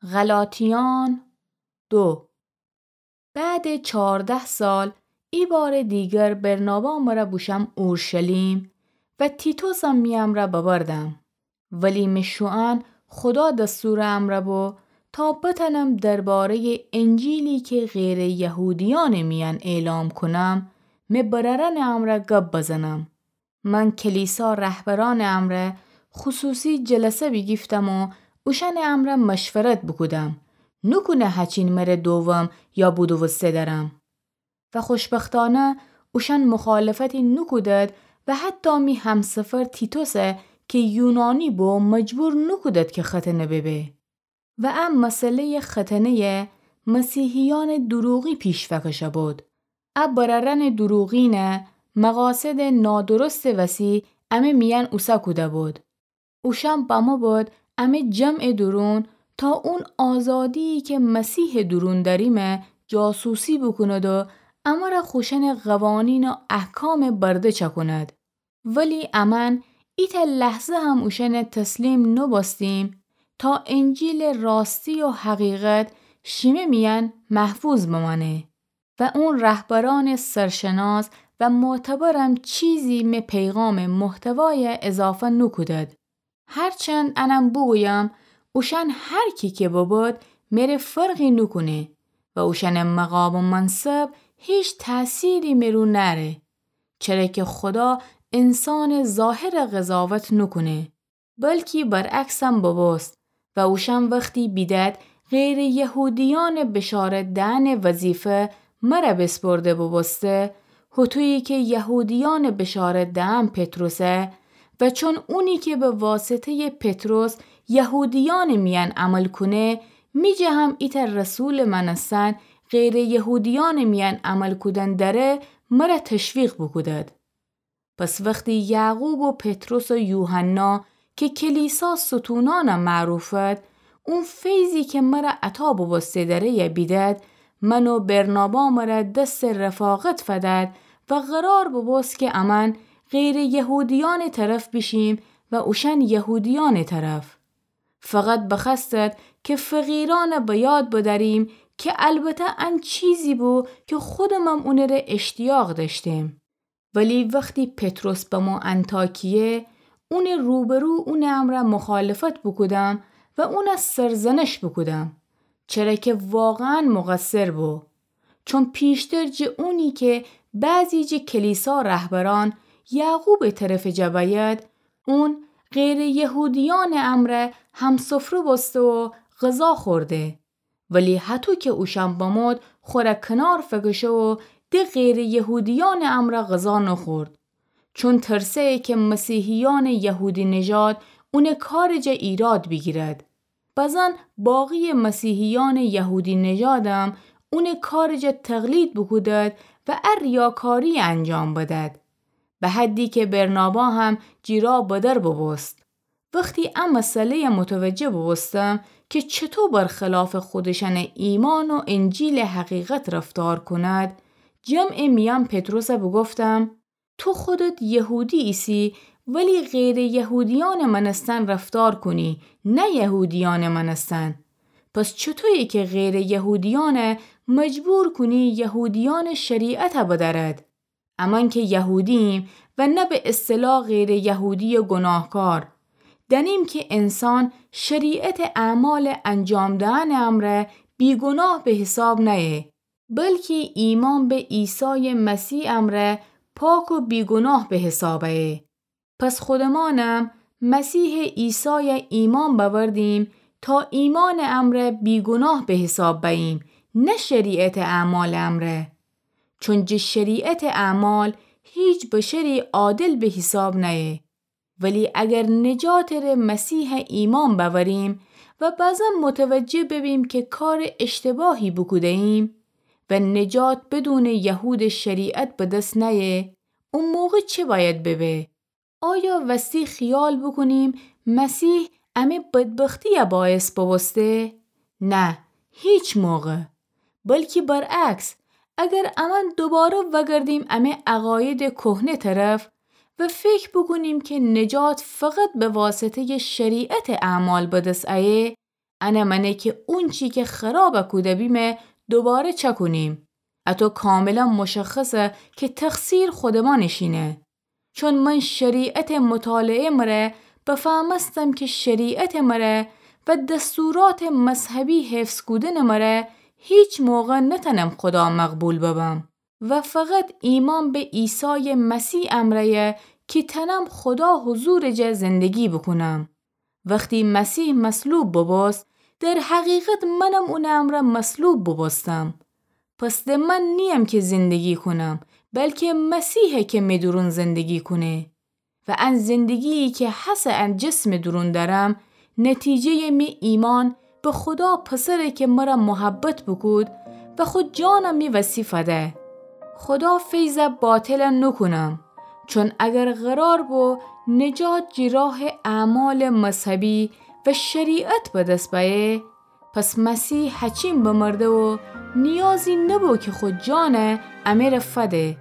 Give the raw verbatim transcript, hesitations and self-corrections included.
غلاطیان دو. بعدٚ چارده سال، ایبارٚ دیگر برنابا مرا بوشم اورشلیم و تیتوسم می امرأ ببردم. ولی مه شوئن خودا دستورٚ امرأ بو تا بتأنم درباره‌یٚ انجیلی که غیرٚ یهودیأنٚ میأن اعلام کونم، مه برأرأنٚ امرأ گب بزنم. من کلیسا رهبرأنٚ امرأ خصوصی جلسه بیگیفتم و اوشأنٚ امرأ مشورت بوکودم، نوکونه هچین مره دوم یا بودووسته درم. و خوشبختأنه اوشأن مخالفتی نوکودد و حتی می همسفر تیتوسه که یونانی بو مجبور نوکودد که ختنه ببه. و ا مسئله‌یٚ ختنه‌یه مسیحیأنٚ دروغی پیش فکشه بود. ا برأرأنٚ دروغینه مقاصدٚ نادرستٚ وسی امه میأن اوسه کوده بود. اوشأن بمو بود امه جمعٚ دورون تا اون آزادی‌یی که مسیحٚ دورون دأریمه جاسوسی بوکوند و امرأ خوشأنٚ قوانین و احکام برده چکوند. ولی امأن ایتأ لحظه هم اوشأنه تسلیم نوبوستیم تا انجیلٚ راستی و حقیقت شیمه میأن محفوظ بمأنه. و اون رهبرأنٚ سرشناس و معتبرم چیزی مه پیغامٚ محتوایه اضافه نوکودد. هرچند انم بوگویم، اوشأن هر کی که ببود، مره فرقی نوکونه و اوشأنٚ مقام و منصب هیچ تأثیری مه رو نأره. چره که خودا انسانٚ ظاهر قضاوت نوکونه، بلکی برعکسم ببوست و اوشأن وختی بیدد غیرٚ یهودیأنٚ بشارت دئنٚ وظیفه مره بسپرده ببوسته، هوطویی که یهودیأنٚ بشارت دئن پطرسه، و چون اونی که به واسطه‌یٚ پطرس یهودیأنٚ میأن عمل کونه، می جه هم ایتأ رسولٚ مأنستن غیرٚ یهودیأنٚ میأن عمل کودن دأره، مره تشویق بوکودد. پس وختی یعقوب و پطرس و یوحنا که کلیسا ستونأنه معروفد، اون فیضی که مره عطا بوبوسته دأره یه بیدد، من و برنابا مره دسٚ رفاقت فدد و قرار بوبوست که امأن غیرٚ یهودیأنٚ طرف بیشیم و اوشأن یهودیأنٚ طرف. فقط بخوأستد که فقیرأنه به یاد بدأریم که البته ان چیزی بو که خودمم اونٚ ره اشتیاق دأشتیم. ولی وختی پطرس بمو انطاکیه، اونٚ روبرو اونٚ امرأ مخالفت بوکودم و اونه سرزنش بوکودم، چره که واقعاً مقصر بو. چون پیشتر جه اونی که بعضی جه کلیسا رهبرأن یعقوبٚ طرفٚ جه بأید، اون غیرٚ یهودیأنٚ امرأ همسفره بوسته و غذا خورده. ولی هطو که اوشأن بمود، خوره کنار فکشه و ده غیرٚ یهودیأنٚ امرأ غذا نوخورد. چون ترسه که مسیحیأنٚ یهودی‌نژاد اونٚ کارٚ جه ایراد بیگیرد. بزن باقیٚ مسیحیأنٚ یهودی‌نژادم اونٚ کارٚ جه تقلید بوکودد و ا ریاکاری انجام بدد. به حدی که برنابا هم جی را بدر بوبوست. وختی ا مسئله‌یه متوجه بوبوستم که چطو برخلافٚ خودشأنٚ ایمأن و انجیلٚ حقیقت رفتار کند، جمعٚ میأن پطرسه بوگفتم: تو خودت یهودی ایسی، ولی غیرٚ یهودیأنٚ مأنستن رفتار کونی، نه یهودیأنٚ مأنستن. پس چطویی که غیرٚ یهودیأنه مجبور کونی یهودیأنٚ شریعته بدأرد؟ امأن که یهودی‌ییم و نه به اصطلاح غیرٚ یهودیٚ گناهکار. دأنیم که انسان شریعتٚ اعمالٚ انجام دئنٚ امرأ بیگناه به حساب نأیه، بلکی ایمأن به عیسایٚ مسیح امرأ پاک و بیگناه به حساب أیه. پس خودمأنم مسیحٚ عیسایه ایمأن بأوردیم تا ایمأنٚ امرأ بیگناه به حساب بأییم، نه شریعتٚ اعمالٚ امرأ. چون جٚه شریعتٚ اعمال هیچ بشری عادل به حساب نأیه. ولی اگر نجاتٚ ره مسیحه ایمأن بأوریم و بزن متوجه ببیم که کارٚ اشتباهی بوکوده‌ییم و نجات بدونٚ یهودٚ شریعت به دس نأیه، او موقع چه بأید ببه؟ آیا وستی خیال بوکونیم مسیح امه بدبختیه باعث بوبوسته؟ نه، هیچ موقع. بلکی برعکس، اگر امأن دوباره وأگردیم امه عقایدٚ کهنه طرف و فکر بوکونیم که نجات فقط به واسطه‌یٚ شریعتٚ اعمال به دس أیه، انه مأنه کی اونچی کی خراب کوده بیمه دوباره چأکونیم. اطو کاملا مشخصه کی تقصیر خودمأنٚ شینه. چون من شریعتٚ مطالعه مره بفهمستم کی شریعتٚ مره و دستوراتٚ مذهبی حفظ کودنٚ مره هیچ موقع نتأنم خودا مقبول ببم و فقط ایمأن به عیسایٚ مسیح امرأیه کی تأنم خودا حضورٚ جا زندگی بوکونم. وختی مسیح مصلوب بوبوست، در حقیقت منم اونٚ امرأ مصلوب بوبوستم. پس د من نییم کی زندگی کونم، بلکی مسیحه کی می دورون زندگی کونه. و ان زندگی‌یی کی هسه ان جسمٚ دورون دأرم، نتیجه‌یٚ می ایمأن به خودا پسره کی مره محبت بوکود و خو جانَ می وسی فده. خودا فیضَ باطل نوکونم، چون اگر قرار بو نجات جٚه راهٚ اعمالٚ مذهبی و شریعت به دس بأیه، پس مسیح هچین بمرده و نیازی نبو کی خو جانَ امره فده.